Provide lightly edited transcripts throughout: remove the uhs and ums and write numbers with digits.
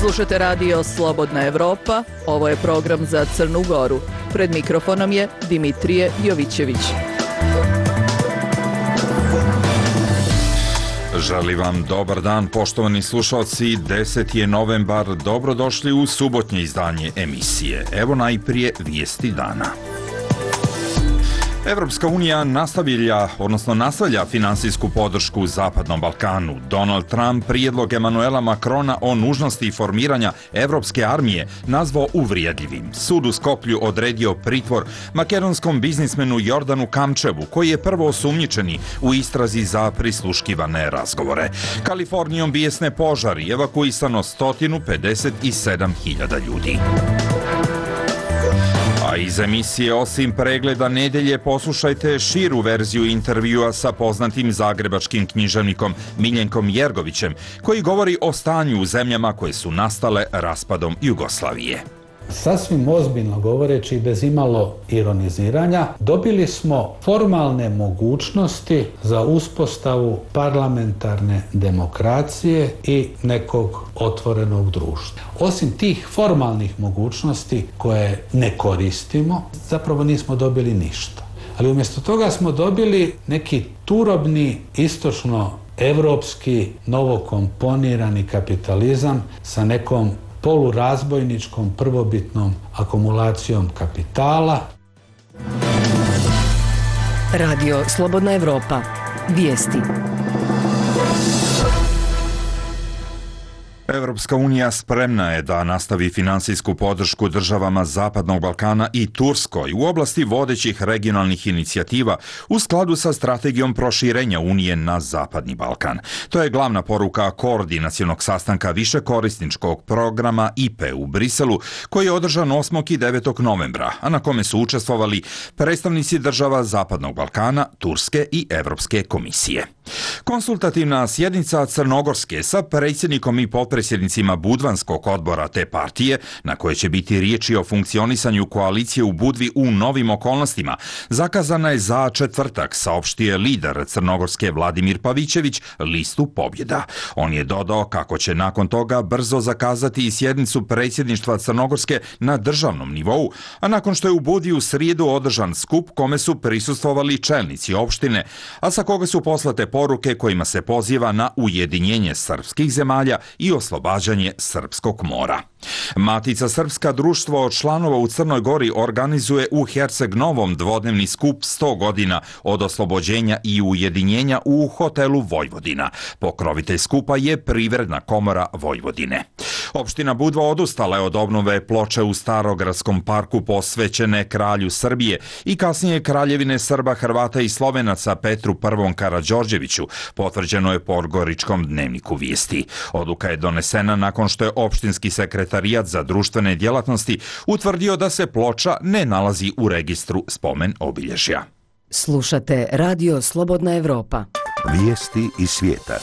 Slušate radio Slobodna Evropa, ovo je program za Crnu Goru. Pred mikrofonom je Dimitrije Jovićević. Želim vam dobar dan, poštovani slušalci. 10. je novembar, dobrodošli u subotnje izdanje emisije. Evo najprije vijesti dana. Evropska unija nastavlja finansijsku podršku Zapadnom Balkanu. Donald Trump prijedlog Emanuela Macrona o nužnosti formiranja Evropske armije nazvao uvrijedljivim. Sud u Skoplju odredio pritvor makedonskom biznismenu Jordanu Kamčevu, koji je prvo osumnjičeni u istrazi za prisluškivane razgovore. Kalifornijom bijesne požari, evakuisano 157.000 ljudi. A iz emisije osim pregleda nedelje poslušajte širu verziju intervjua sa poznatim zagrebačkim književnikom Miljenkom Jergovićem, koji govori o stanju u zemljama koje su nastale raspadom Jugoslavije. Sasvim ozbiljno govoreći i bez imalo ironiziranja, dobili smo formalne mogućnosti za uspostavu parlamentarne demokracije i nekog otvorenog društva. Osim tih formalnih mogućnosti koje ne koristimo, zapravo nismo dobili ništa. Ali umjesto toga smo dobili neki turobni istočno-evropski novokomponirani kapitalizam sa nekom polurazbojničkom prvobitnom akumulacijom kapitala. Radio Slobodna Evropa. Vijesti. Evropska unija spremna je da nastavi finansijsku podršku državama Zapadnog Balkana i Turskoj u oblasti vodećih regionalnih inicijativa u skladu sa strategijom proširenja Unije na Zapadni Balkan. To je glavna poruka koordinacionog sastanka višekorisničkog programa IPE u Briselu, koji je održan 8. i 9. novembra, a na kome su učestvovali predstavnici država Zapadnog Balkana, Turske i Evropske komisije. Konsultativna sjednica Crnogorske sa predsjednikom i potpredsjednicima Budvanskog odbora te partije, na koje će biti riječi o funkcionisanju koalicije u Budvi u novim okolnostima, zakazana je za četvrtak, saopštio je lider Crnogorske Vladimir Pavićević listu pobjeda. On je dodao kako će nakon toga brzo zakazati i sjednicu predsjedništva Crnogorske na državnom nivou, a nakon što je u Budvi u srijedu održan skup kome su prisustvovali čelnici opštine, a sa koga su poslate poruke kojima se poziva na ujedinjenje srpskih zemalja i oslobađanje Srpskog mora. Matica Srpska, društvo od članova u Crnoj Gori, organizuje u Herceg Novom dvodnevni skup 100 godina od oslobođenja i ujedinjenja u hotelu Vojvodina. Pokrovitelj skupa je Privredna komora Vojvodine. Opština Budva odustala je od obnove ploče u Starogradskom parku posvećene kralju Srbije i kasnije kraljevine Srba, Hrvata i Slovenaca Petru I. Karađorđeviću, potvrđeno je po Goričkom dnevniku vijesti. Odluka je donesena nakon što je opštinski sekretarijat za društvene djelatnosti utvrdio da se ploča ne nalazi u registru spomen obilježja. Slušate radio Slobodna Evropa. Vijesti iz svijeta.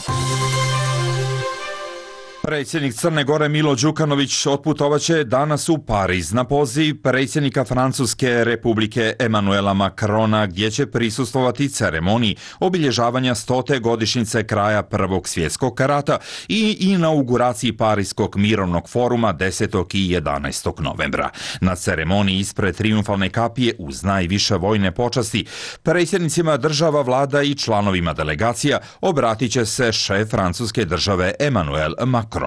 Predsjednik Crne Gore Milo Đukanović otputovaće danas u Pariz na poziv predsjednika Francuske Republike Emanuela Macrona, gdje će prisustvovati ceremoniji obilježavanja 100. godišnjice kraja Prvog svjetskog rata i inauguraciji Parijskog mirovnog foruma 10. i 11. novembra. Na ceremoniji ispred triumfalne kapije uz najviše vojne počasti predsjednicima država, vlada i članovima delegacija obratit će se šef francuske države Emmanuel Macron.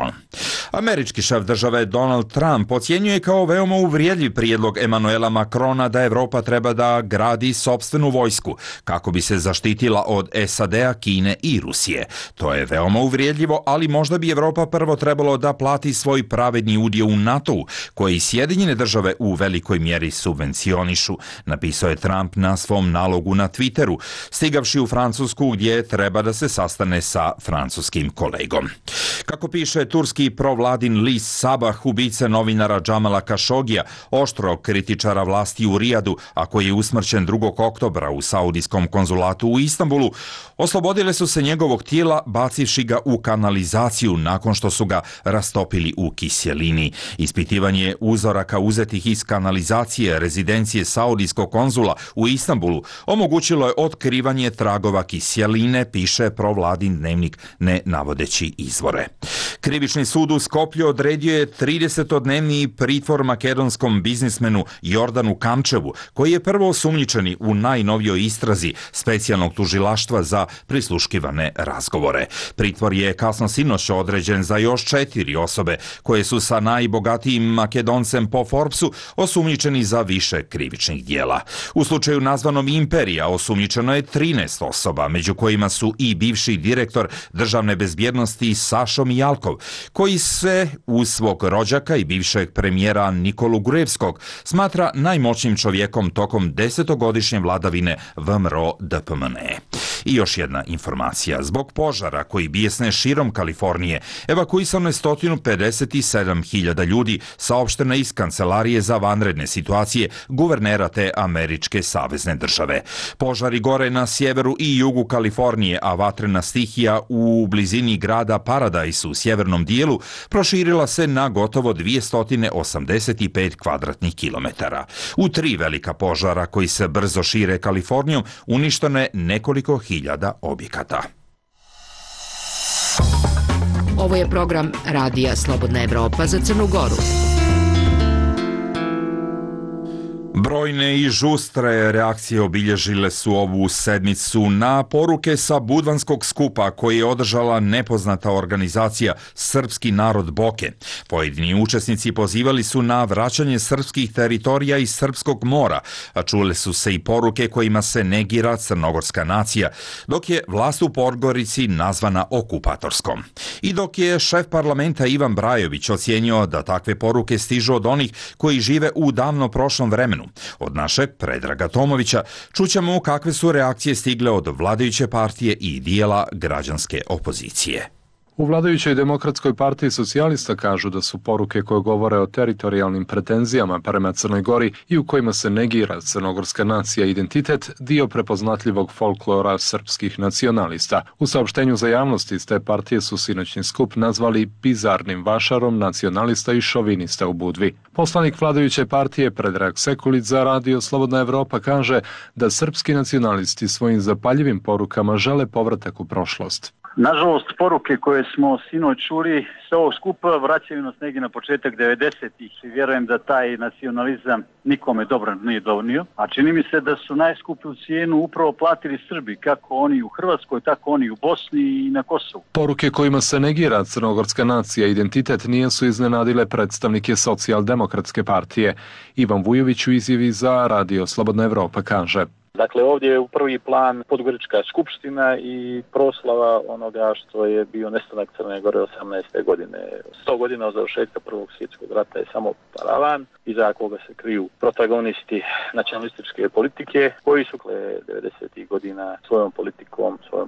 Američki šef države Donald Trump ocjenjuje kao veoma uvrijedljiv prijedlog Emanuela Macrona da Evropa treba da gradi sopstvenu vojsku kako bi se zaštitila od SAD-a, Kine i Rusije. To je veoma uvrijedljivo, ali možda bi Evropa prvo trebalo da plati svoj pravedni udio u NATO-u, koji Sjedinjene države u velikoj mjeri subvencionišu, napisao je Trump na svom nalogu na Twitteru, stigavši u Francusku gdje treba da se sastane sa francuskim kolegom. Kako piše turski provladin list Sabah, ubice novinara Džamala Kašogija, oštrog kritičara vlasti u Rijadu, a koji je usmrćen 2. oktobra u saudijskom konzulatu u Istanbulu, oslobodile su se njegovog tijela bacivši ga u kanalizaciju nakon što su ga rastopili u kiselini. Ispitivanje uzoraka uzetih iz kanalizacije rezidencije saudijskog konzula u Istanbulu omogućilo je otkrivanje tragova kiseline, piše provladin dnevnik ne navodeći izvore. Krivični sud u Skoplju odredio je 30-dnevni pritvor makedonskom biznismenu Jordanu Kamčevu, koji je prvo osumnjičeni u najnovijoj istrazi specijalnog tužilaštva za prisluškivane razgovore. Pritvor je kasno sinoć određen za još 4 osobe koje su sa najbogatijim Makedoncem po Forbesu osumnjičeni za više krivičnih dijela. U slučaju nazvanom Imperija osumnjičeno je 13 osoba, među kojima su i bivši direktor državne bezbjednosti Sašo Mijalkov, koji se uz svog rođaka i bivšeg premijera Nikolu Gruevskog smatra najmoćnijim čovjekom tokom 10-godišnje vladavine VMRO DPMNE. I još jedna informacija. Zbog požara koji bijesne širom Kalifornije, evakuisano je 157.000 ljudi, saopšteno iz Kancelarije za vanredne situacije guvernera te američke savezne države. Požari gore na sjeveru i jugu Kalifornije, a vatrena stihija u blizini grada Paradise u sjevernom dijelu proširila se na gotovo 285 kvadratnih kilometara. U 3 velika požara koji se brzo šire Kalifornijom uništeno je nekoliko hiljada objekata. Ovo je program Radija Slobodna Evropa za Crnu Goru. Brojne i žustre reakcije obilježile su ovu sedmicu na poruke sa Budvanskog skupa koji je održala nepoznata organizacija Srpski narod Boke. Pojedini učesnici pozivali su na vraćanje srpskih teritorija iz Srpskog mora, a čule su se i poruke kojima se negira crnogorska nacija, dok je vlast u Podgorici nazvana okupatorskom. I dok je šef parlamenta Ivan Brajović ocijenio da takve poruke stižu od onih koji žive u davno prošlom vremenu, od našeg Predraga Tomovića čućemo kakve su reakcije stigle od vladajuće partije i dijela građanske opozicije. U vladajućoj Demokratskoj partiji socijalista kažu da su poruke koje govore o teritorijalnim pretenzijama prema Crnoj Gori i u kojima se negira crnogorska nacija i identitet dio prepoznatljivog folklora srpskih nacionalista. U saopštenju za javnost iz te partije su sinoćni skup nazvali bizarnim vašarom nacionalista i šovinista u Budvi. Poslanik vladajuće partije Predrag Sekulić za Radio Slobodna Evropa kaže da srpski nacionalisti svojim zapaljivim porukama žele povratak u prošlost. Nažalost, poruke koje smo sinoć čuli sa ovog skupa vraćaju nas negdje na početak 90-ih i vjerujem da taj nacionalizam nikome dobro nije donio, a čini mi se da su najskuplju cijenu upravo platili Srbi, kako oni u Hrvatskoj, tako oni u Bosni i na Kosovu. Poruke kojima se negira crnogorska nacija i identitet nisu iznenadile predstavnike Socijaldemokratske partije. Ivan Vujović u izjavi za Radio Slobodna Evropa kaže: Dakle, ovdje je u prvi plan Podgorička skupština i proslava onoga što je bio nestanak Crne Gore 18. godine. 100 godina od završetka Prvog svjetskog rata je samo paravan, iza koga se kriju protagonisti nacionalističke politike, koji su 90. godina svojom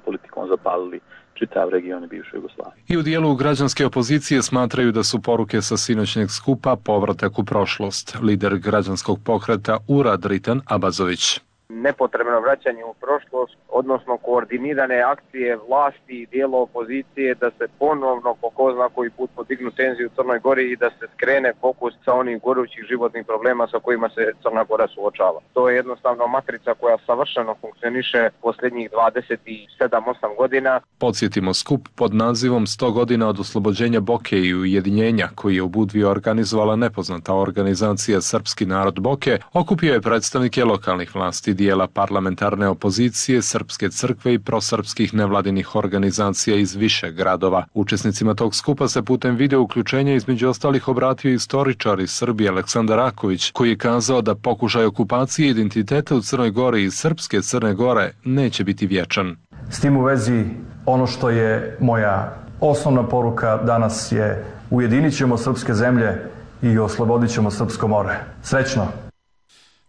politikom zapalili čitav region bivše Jugoslavije. I u dijelu građanske opozicije smatraju da su poruke sa sinoćnjeg skupa povratak u prošlost. Lider građanskog pokreta Urad Ritan Abazović. Nepotrebno vraćanje u prošlost, odnosno koordinirane akcije vlasti i dijela opozicije da se ponovno po ko zna koji put podignu tenziju u Crnoj Gori i da se skrene fokus sa onih gorućih životnih problema sa kojima se Crna Gora suočava. To je jednostavno matrica koja savršeno funkcioniše posljednjih 27-8 godina. Podsjetimo skup pod nazivom 100 godina od oslobođenja Boke i ujedinjenja koji je u Budvi organizovala nepoznata organizacija Srpski narod Boke, okupio je predstavnike lokalnih vlasti, dijela parlamentarne opozicije, Srpske crkve i prosrpskih nevladinih organizacija iz više gradova. Učesnicima tog skupa se putem video uključenja između ostalih obratio istoričar iz Srbije Aleksandar Raković, koji je kazao da pokušaj okupacije identiteta u Crnoj Gori i srpske Crne Gore neće biti vječan. S tim u vezi, ono što je moja osnovna poruka danas je: ujedinit ćemo srpske zemlje i oslobodit ćemo Srpsko more. Srećno!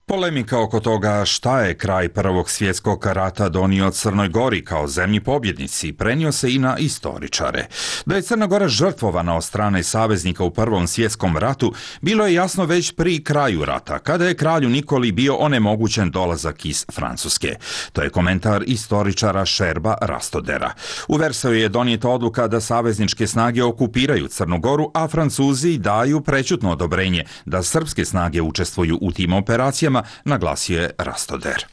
Polemika oko toga šta je kraj Prvog svjetskog rata donio Crnoj Gori kao zemlji pobjednici prenio se i na istoričare. Da je Crna Gora žrtvovana od strane saveznika u Prvom svjetskom ratu bilo je jasno već pri kraju rata, kada je kralju Nikoli bio onemogućen dolazak iz Francuske. To je komentar istoričara Šerba Rastodera. U Versaju je donijeta odluka da savezničke snage okupiraju Crnu Goru, a Francuzi daju prečutno odobrenje da srpske snage učestvuju u tim operacijama, naglasio je Rastoder.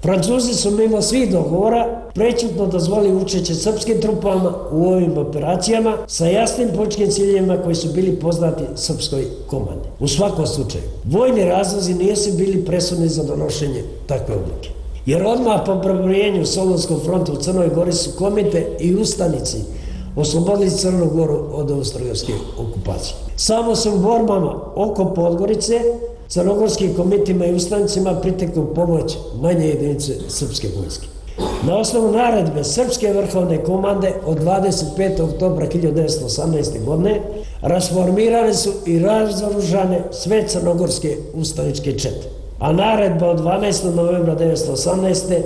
Francuzi su mimo svih dogovora prećutno dozvolili učešće srpskim trupama u ovim operacijama sa jasnim političkim ciljevima koji su bili poznati srpskoj komandi. U svakom slučaju, vojni razlozi nisu bili presudni za donošenje takve odluke. Jer odmah po probrojenju Solunskog fronta u Crnoj Gori su komite i ustanici oslobodili Crnu Goru od austro-ugarske okupacije. Samo su u borbama oko Podgorice crnogorskim komitima i ustanicima pritekli pomoć manje jedinice srpske vojske. Na osnovu naredbe Srpske vrhovne komande od 25. oktobra 1918. godine rasformirane su i razoružane sve crnogorske ustaničke čete, a naredba od 12. novembra 1918.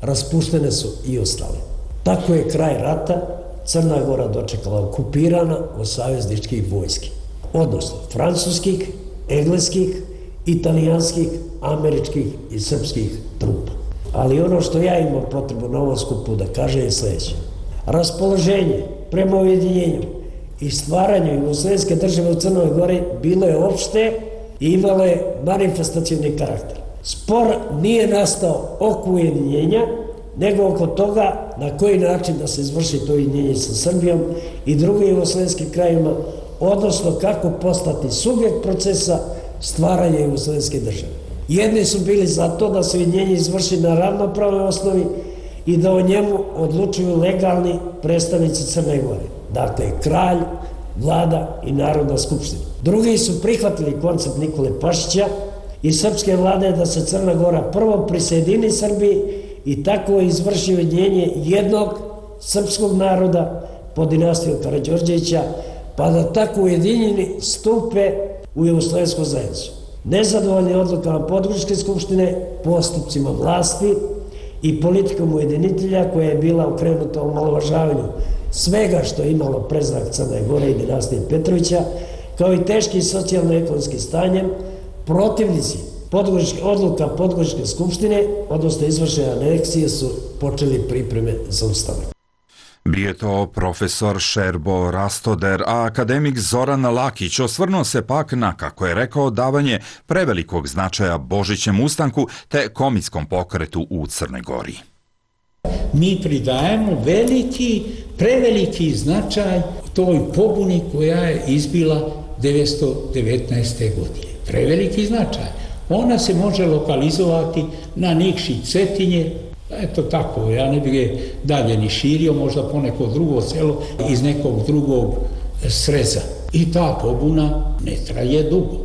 raspuštene su i ostale. Tako je kraj rata Crna Gora dočekala okupirana od savezničkih vojski, odnosno francuskih, engleskih, italijanskih, američkih i srpskih trupa. Ali ono što ja imam potrebu na ovom skupu da kažem je sljedeće. Raspoloženje prema ujedinjenju i stvaranju jugoslovenske države u Crnoj Gori bilo je opšte i imalo je manifestacioni karakter. Spor nije nastao oko ujedinjenja, nego oko toga na koji način da se izvrši to ujedinjenje sa Srbijom i drugim jugoslovenskim krajima, odnosno kako postati subjekt procesa stvaranja jugoslovenske države. Jedni su bili za to da se ujedinjenje izvrši na ravnopravnoj osnovi i da o njemu odlučuju legalni predstavnici Crne Gore, dakle kralj, vlada i Narodna skupština. Drugi su prihvatili koncept Nikole Pašića i srpske vlade da se Crna Gora prvo prisjedini Srbiji i tako izvrši ujedinjenje jednog srpskog naroda pod dinastijom Karađorđevića, pa da tako ujedinjeni stupe u jugoslovensku zajednicu. Nezadovoljni odlukama Podgoričke skupštine, postupcima vlasti i politikom ujedinitelja koja je bila okrenuta omalovažavanju svega što je imalo predznak Crne Gore i dinastije Petrovića, kao i teškim socijalno-ekonomskim stanjem, protivnici odluka Podgoričke skupštine, odnosno izvršene aneksije, su počeli pripreme za ustanak. Bio je to profesor Šerbo Rastoder, a akademik Zoran Lakić osvrnuo se pak na, kako je rekao, davanje prevelikog značaja Božićem ustanku te komitskom pokretu u Crnoj Gori. Mi pridajemo preveliki značaj toj pobuni koja je izbila 1919. godine. Preveliki značaj. Ona se može lokalizovati na Nikši Cetinje, eto tako, ja ne bih je dalje ni širio, možda po neko drugo selo iz nekog drugog sreza. I ta pobuna ne traje dugo.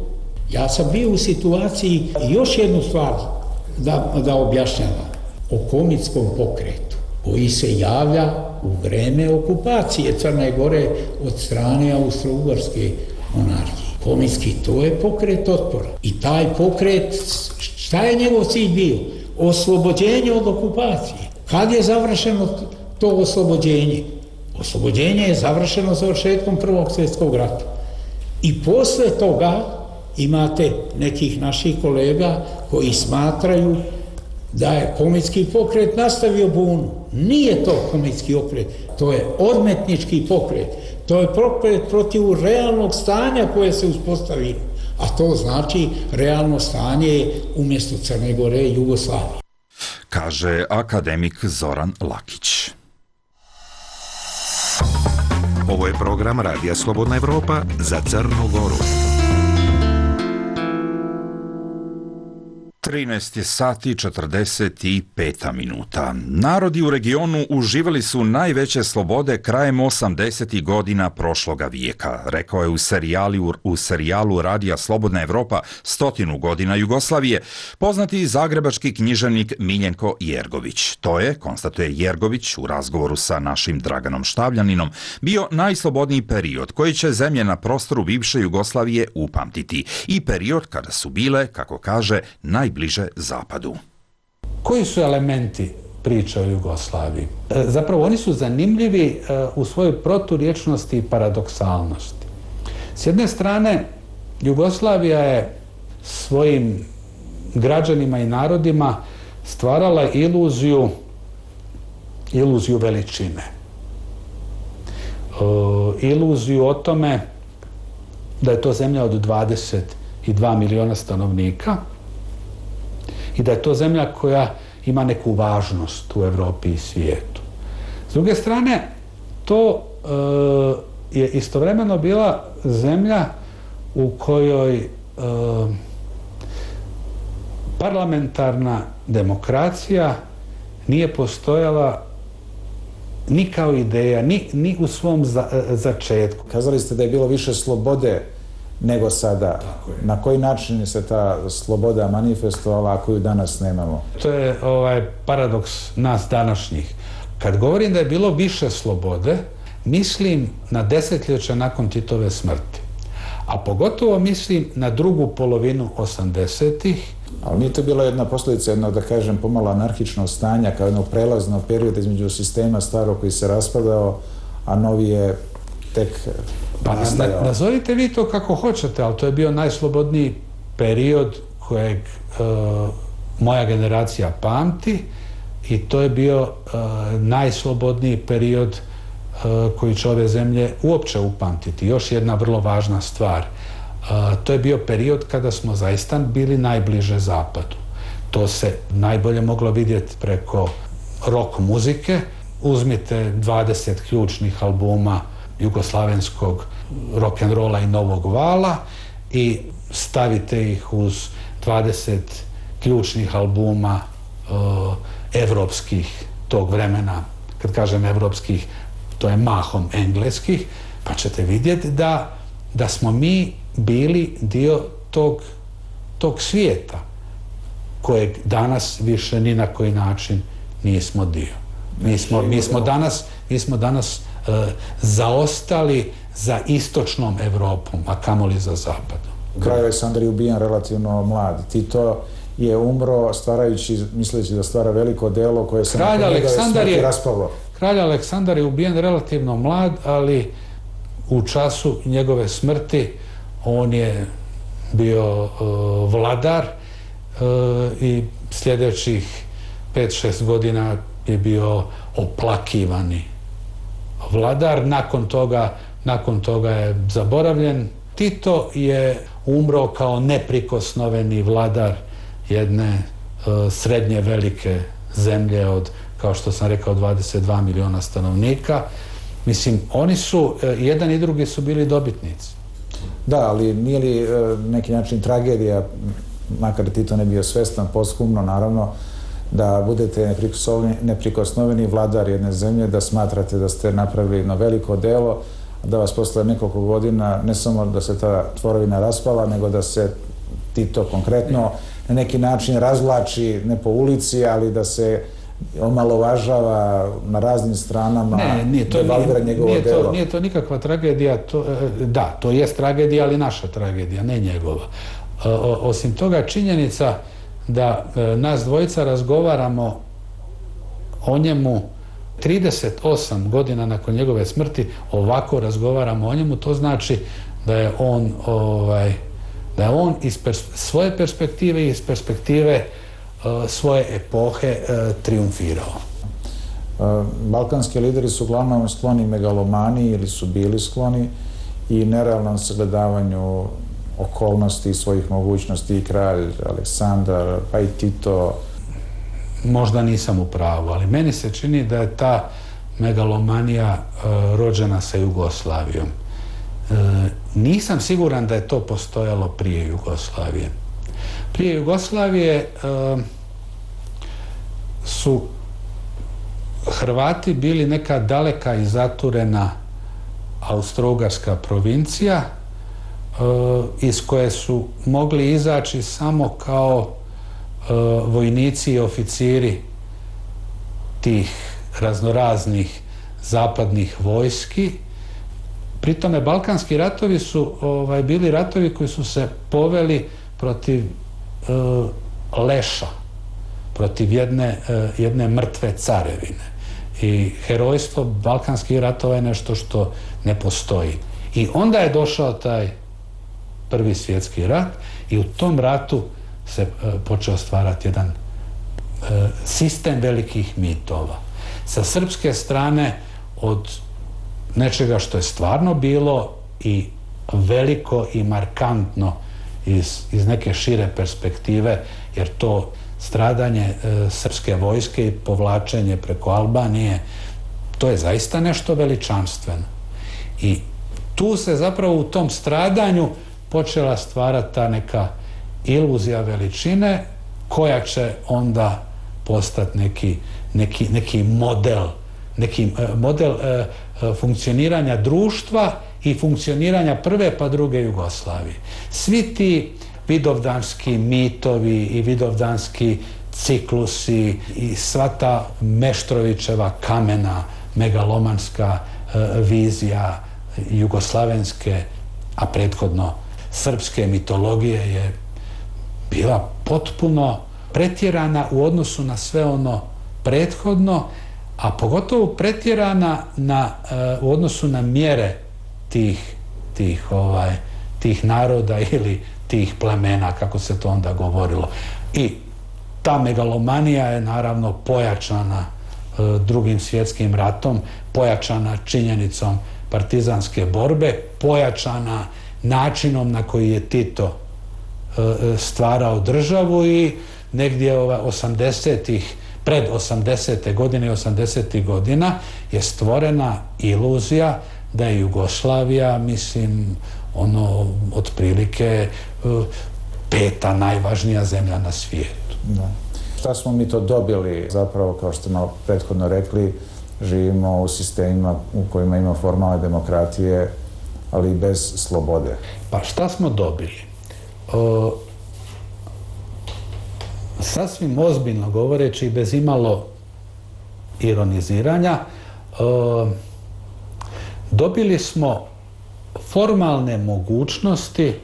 Ja sam bio u situaciji, još jednu stvar da objašnjavam, o komitskom pokretu koji se javlja u vreme okupacije Crne Gore od strane Austro-Ugarske monarhije. Komitski, to je pokret otpora. I taj pokret, šta je njegov cilj bio? Oslobođenje od okupacije. Kad je završeno to oslobođenje? Oslobođenje je završeno završetkom Prvog svjetskog rata. I posle toga imate nekih naših kolega koji smatraju da je komitski pokret nastavio bunu. Nije to komitski pokret, to je odmetnički pokret. To je pokret protiv realnog stanja koje se uspostavilo. A to znači realno stanje je umjesto Crne Gore i Jugoslavije. Kaže akademik Zoran Lakić. Ovo je program Radija Slobodna Evropa za Crnu Goru. 13 sati 45 minuta. Narodi u regionu uživali su najveće slobode krajem 80. godina prošloga vijeka, rekao je u serijalu Radija Slobodna Evropa 100 godina Jugoslavije poznati zagrebački književnik Miljenko Jergović. To je, konstatuje Jergović u razgovoru sa našim Draganom Štavljaninom, bio najslobodniji period koji će zemlje na prostoru bivše Jugoslavije upamtiti i period kada su bile, kako kaže, najbliže zapadu. Koji su elementi priče o Jugoslaviji? Zapravo oni su zanimljivi u svojoj proturječnosti i paradoksalnosti. S jedne strane, Jugoslavija je svojim građanima i narodima stvarala iluziju veličine. Iluziju o tome da je to zemlja od 22 miliona stanovnika i da je to zemlja koja ima neku važnost u Evropi i svijetu. S druge strane, to je istovremeno bila zemlja u kojoj parlamentarna demokracija nije postojala ni kao ideja, ni u svom začetku. Kazali ste da je bilo više slobode nego sada. Na koji način se ta sloboda manifestovala, a koju danas nemamo? To je paradoks nas današnjih. Kad govorim da je bilo više slobode, mislim na desetljeća nakon Titove smrti. A pogotovo mislim na drugu polovinu 80-ih. Ali nije to bila jedna posljedica jednog, da kažem, pomalo anarhičnog stanja, kao jednog prelaznog perioda između sistema starog koji se raspadao, a novi je tek nastajao. Nazovite vi to kako hoćete, ali to je bio najslobodniji period kojeg moja generacija pamti i to je bio najslobodniji period koji će ove zemlje uopće upamtiti. Još jedna vrlo važna stvar. To je bio period kada smo zaista bili najbliže zapadu. To se najbolje moglo vidjeti preko rock muzike. Uzmite 20 ključnih albuma jugoslavenskog rock'n'rolla i novog vala i stavite ih uz 20 ključnih albuma evropskih tog vremena. Kad kažem evropskih, to je mahom engleskih, pa ćete vidjeti da smo mi bili dio tog svijeta kojeg danas više ni na koji način nismo dio. Mi smo danas zaostali za istočnom Evropom, a kamoli za zapadom. Kralj Aleksandar je ubijen relativno mlad. Tito je umro stvarajući, misleći da stvara veliko delo koje se nakon njegove smrti raspalo. Kralj Aleksandar je ubijen relativno mlad, ali u času njegove smrti on je bio vladar i sljedećih 5-6 godina je bio oplakivani vladar. Nakon toga je zaboravljen. Tito je umro kao neprikosnoveni vladar jedne srednje velike zemlje od, kao što sam rekao, 22 miliona stanovnika. Mislim, oni su, jedan i drugi su bili dobitnici. Da, ali nije li neki način tragedija, makar Tito ne bio svestan, posthumno naravno, da budete neprikosnoveni vladar jedne zemlje, da smatrate da ste napravili jedno veliko delo, da vas posle nekoliko godina, ne samo da se ta tvorevina raspala, nego da se Tito konkretno na neki način razvlači, ne po ulici, ali da se omalovažava na raznim stranama, devalvira njegovo delo. Nije to nikakva tragedija, to jest tragedija, ali naša tragedija, ne njegova. Osim toga, činjenica da nas dvojica razgovaramo o njemu 38 godina nakon njegove smrti, ovako razgovaramo o njemu, to znači da je on iz svoje perspektive i iz perspektive svoje epohe triumfirao. Balkanski lideri su uglavnom skloni megalomaniji ili su bili skloni i nerealnom sagledavanju okolnosti i svojih mogućnosti, i kralj Aleksandar, pa i Tito. Možda nisam u pravu, ali meni se čini da je ta megalomanija rođena sa Jugoslavijom. Nisam siguran da je to postojalo prije Jugoslavije. Prije Jugoslavije su Hrvati bili neka daleka i zaturena austro-ugarska provincija iz koje su mogli izaći samo kao vojnici i oficiri tih raznoraznih zapadnih vojski. Pri tome Balkanski ratovi su bili ratovi koji su se poveli protiv leša, protiv jedne mrtve carevine. I herojstvo Balkanskih ratova je nešto što ne postoji. I onda je došao taj Prvi svjetski rat i u tom ratu se počeo stvarati jedan sistem velikih mitova. Sa srpske strane od nečega što je stvarno bilo i veliko i markantno iz neke šire perspektive, jer to stradanje srpske vojske i povlačenje preko Albanije, to je zaista nešto veličanstveno. I tu se zapravo u tom stradanju počela stvarati ta neka iluzija veličine koja će onda postati neki model funkcioniranja društva i funkcioniranja prve pa druge Jugoslavije. Svi ti vidovdanski mitovi i vidovdanski ciklusi i sva ta Meštrovićeva kamena, megalomanska vizija jugoslavenske, a prethodno srpske mitologije je bila potpuno pretjerana u odnosu na sve ono prethodno, a pogotovo pretjerana u odnosu na mjere tih naroda ili tih plemena, kako se to onda govorilo. I ta megalomanija je naravno pojačana Drugim svjetskim ratom, pojačana činjenicom partizanske borbe, pojačana načinom na koji je Tito stvarao državu i negdje 80-ih, pred 80. godine i 80. godina je stvorena iluzija da je Jugoslavija, mislim, otprilike 5. najvažnija zemlja na svijetu. Da. Šta smo mi to dobili? Zapravo, kao što smo prethodno rekli, živimo u sistemima u kojima ima formalne demokratije, ali bez slobode. Pa šta smo dobili? Sasvim ozbiljno govoreći, bez imalo ironiziranja, dobili smo formalne mogućnosti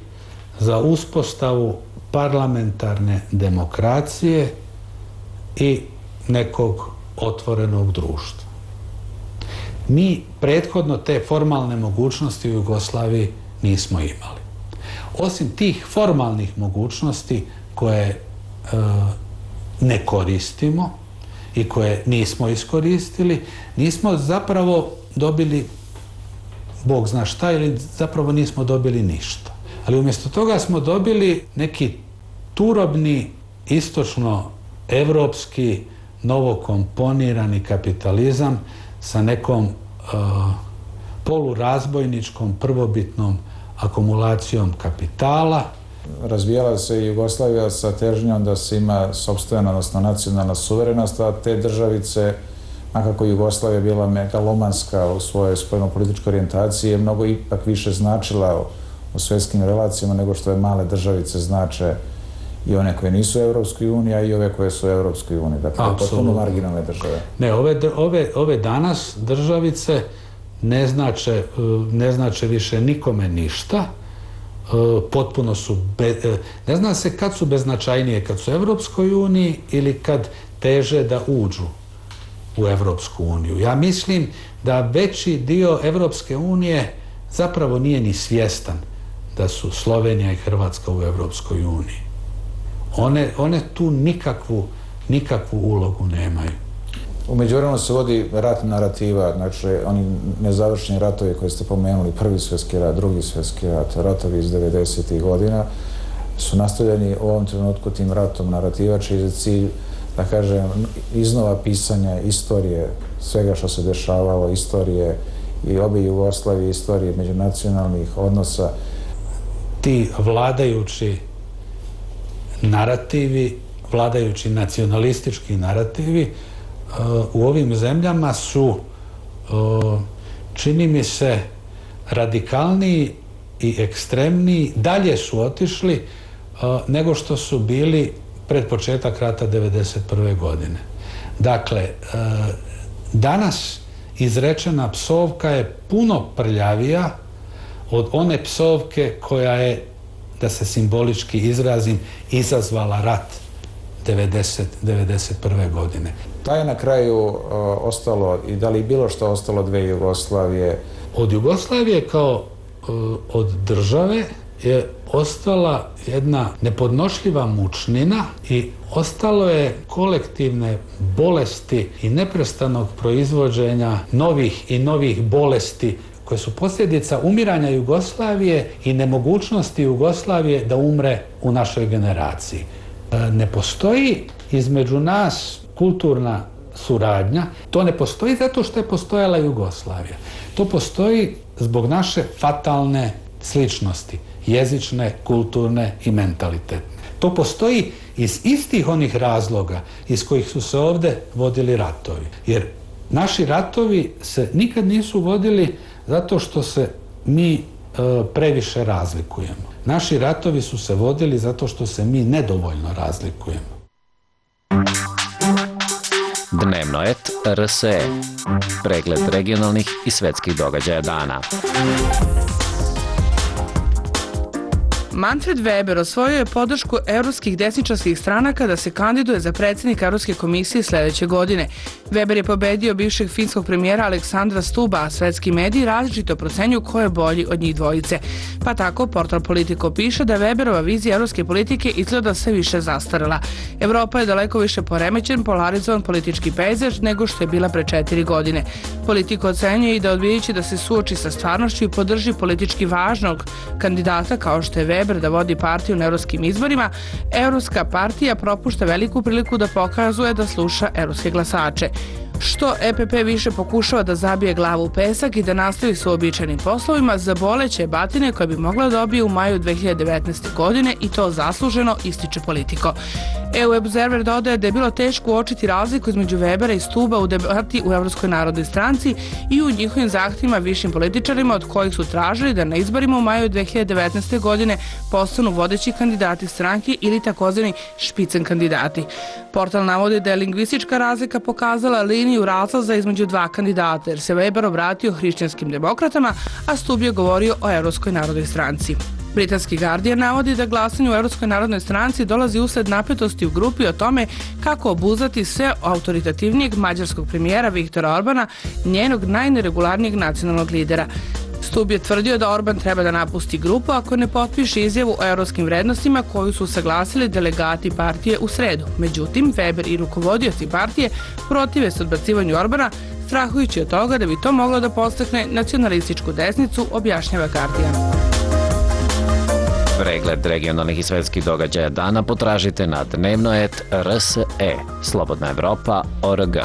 za uspostavu parlamentarne demokracije i nekog otvorenog društva. Mi prethodno te formalne mogućnosti u Jugoslaviji nismo imali. Osim tih formalnih mogućnosti koje ne koristimo i koje nismo iskoristili, nismo zapravo dobili Bog zna šta, ili zapravo nismo dobili ništa. Ali umjesto toga smo dobili neki turobni, istočno-evropski, novokomponirani kapitalizam sa nekom polurazbojničkom, prvobitnom akumulacijom kapitala. Razvijala se Jugoslavija sa težnjom da se ima sopstvena, odnosno nacionalna suverenost, a te državice, makako Jugoslavija bila megalomanska u svojoj spoljnopolitičkoj orijentaciji, je mnogo ipak više značila u svjetskim relacijama nego što je male državice znače i one koje nisu u Europskoj uniji, a i ove koje su u Europskoj uniji. Dakle, potpuno marginalne države. Ne, ove danas državice ne znače više nikome ništa. Potpuno su, ne zna se kad su beznačajnije, kad su u Europskoj uniji ili kad teže da uđu u Europsku uniju. Ja mislim da veći dio Europske unije zapravo nije ni svjestan da su Slovenija i Hrvatska u Europskoj uniji. One tu nikakvu ulogu nemaju. U međuvremenu se vodi rat narativa, znači oni nezavršeni ratovi koje ste pomenuli, Prvi svjetski rat, Drugi svjetski rat, ratovi iz 90. godina, su nastavljeni u ovom trenutku tim ratom narativa, čiji je cilj, da kažem, iznova pisanja istorije svega što se dešavalo, istorije i obe Jugoslavije, istorije međunacionalnih odnosa. Ti vladajući narativi, vladajući nacionalistički narativi u ovim zemljama su, čini mi se, radikalniji i ekstremniji, dalje su otišli nego što su bili pred početak rata 1991. godine. Dakle, danas izrečena psovka je puno prljavija od one psovke koja je, da se simbolički izrazim, izazvala rat 1991. godine. Da je na kraju ostalo, i da li bilo što ostalo dve Jugoslavije? Od Jugoslavije kao od države je ostala jedna nepodnošljiva mučnina i ostalo je kolektivne bolesti i neprestanog proizvođenja novih i novih bolesti koje su posljedica umiranja Jugoslavije i nemogućnosti Jugoslavije da umre u našoj generaciji. Ne postoji između nas kulturna suradnja, to ne postoji zato što je postojala Jugoslavija. To postoji zbog naše fatalne sličnosti, jezične, kulturne i mentalitetne. To postoji iz istih onih razloga iz kojih su se ovde vodili ratovi. Jer naši ratovi se nikad nisu vodili zato što se mi previše razlikujemo. Naši ratovi su se vodili zato što se mi nedovoljno razlikujemo. Dnevnoet RSE. Pregled regionalnih i svetskih događaja dana. Manfred Weber osvojio je podršku evropskih desničarskih stranaka da se kandiduje za predsjednika Evropske komisije sljedeće godine. Weber je pobedio bivšeg finskog premijera Aleksandra Stuba, a svetski mediji različito procenjuju ko je bolji od njih dvojice. Pa tako portal Politico piše da Weberova vizija evropske politike izgleda sve više zastarela. Evropa je daleko više poremećen, polarizovan politički pejzaž nego što je bila pre 4 godine. Politico ocenjuje i da odbijajući da se suoči sa stvarnošću i podrži politički važnog kandidata kao što je Weber da vodi partiju na evropskim izborima, Evropska partija propušta veliku priliku da pokazuje da sluša evropske glasače. Što EPP više pokušava da zabije glavu u pesak i da nastavi s uobičajenim poslovima, zaboleće batine koje bi mogla dobije u maju 2019. godine i to zasluženo, ističe Politico. EU Observer dodaje da je bilo teško uočiti razliku između Webera i Stuba u debati u Evropskoj narodnoj stranci i u njihovim zahtjevima višim političarima od kojih su tražili da na izborima u maju 2019. godine postanu vodeći kandidati stranke ili takozvani špicen kandidati. Portal navodi da je lingvistička razlika pokazala liniju razlaza između dva kandidata, jer se Weber obratio hrišćanskim demokratama, a Stub je govorio o Evropskoj narodnoj stranci. Britanski Guardian navodi da glasanje u Evropskoj narodnoj stranci dolazi usled napetosti u grupi o tome kako obuzdati sve autoritativnijeg mađarskog premijera Viktora Orbana, njenog najneregularnijeg nacionalnog lidera. Stub je tvrdio da Orban treba da napusti grupu ako ne potpiše izjavu o evropskim vrednostima koju su saglasili delegati partije u sredu. Međutim, Weber i rukovodioci partije protive se odbacivanju Orbana, strahujući od toga da bi to moglo da podstakne nacionalističku desnicu, objašnjava Guardian. Pregled regionalnih i svetskih događaja dana potražite na Dnevnoet RSE, Slobodna Evropa.org.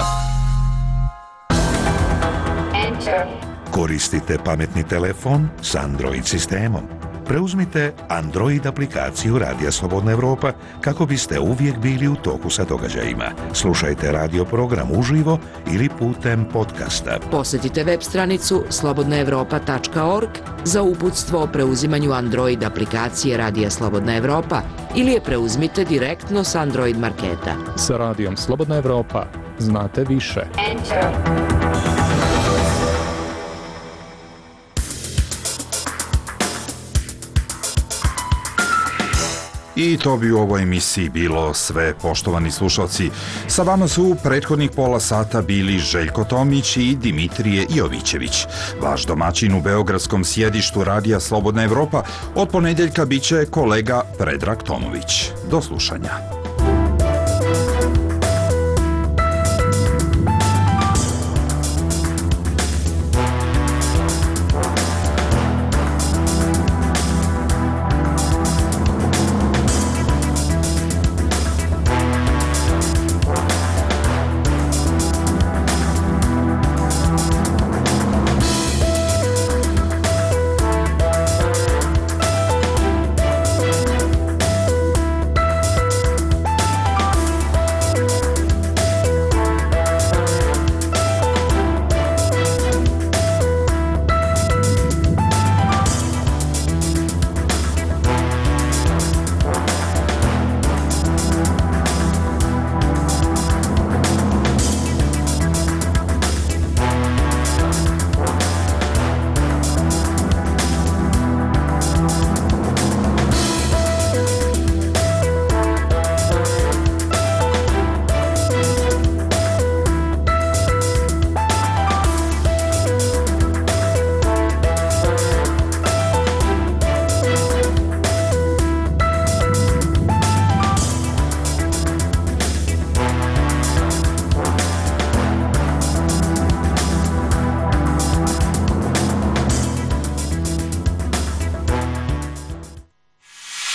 Koristite pametni telefon s Android sistemom. Preuzmite Android aplikaciju Radija Slobodna Evropa kako biste uvijek bili u toku sa događajima. Slušajte radio program uživo ili putem podcasta. Posjetite web stranicu slobodnaevropa.org za uputstvo o preuzimanju Android aplikacije Radija Slobodna Evropa ili je preuzmite direktno s Android marketa. Sa Radijom Slobodna Evropa znate više. I to bi u ovoj emisiji bilo sve, poštovani slušalci. Sa vama su prethodnih pola sata bili Željko Tomić i Dimitrije Jovićević. Vaš domaćin u beogradskom sjedištu Radija Slobodna Evropa od ponedjeljka biće kolega Predrag Tomović. Do slušanja.